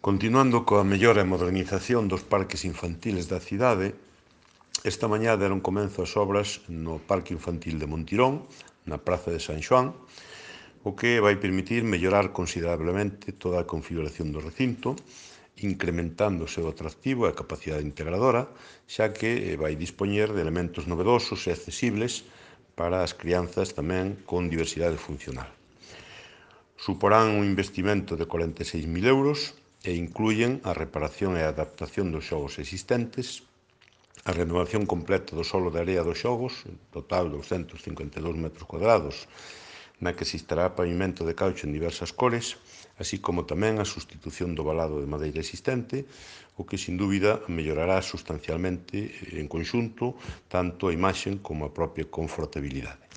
Continuando coa mellora e modernización dos parques infantiles da cidade, esta mañá deron comezo as obras no Parque Infantil de Montirón, na Praza de San Xoán, o que vai permitir mellorar considerablemente toda a configuración do recinto, incrementando o seu atractivo e a capacidade integradora, xa que vai dispoñer de elementos novedosos e accesibles para as crianzas tamén con diversidade funcional. Suporán un investimento de 46.000 euros e incluyen a reparación e a adaptación dos xogos existentes, a renovación completa do solo de area dos xogos, en total 252 metros cuadrados, na que se instará pavimento de caucho en diversas cores, así como tamén a sustitución do valado de madeira existente, o que, sin dúbida, mellorará sustancialmente en conxunto tanto a imaxe como a propia confortabilidade.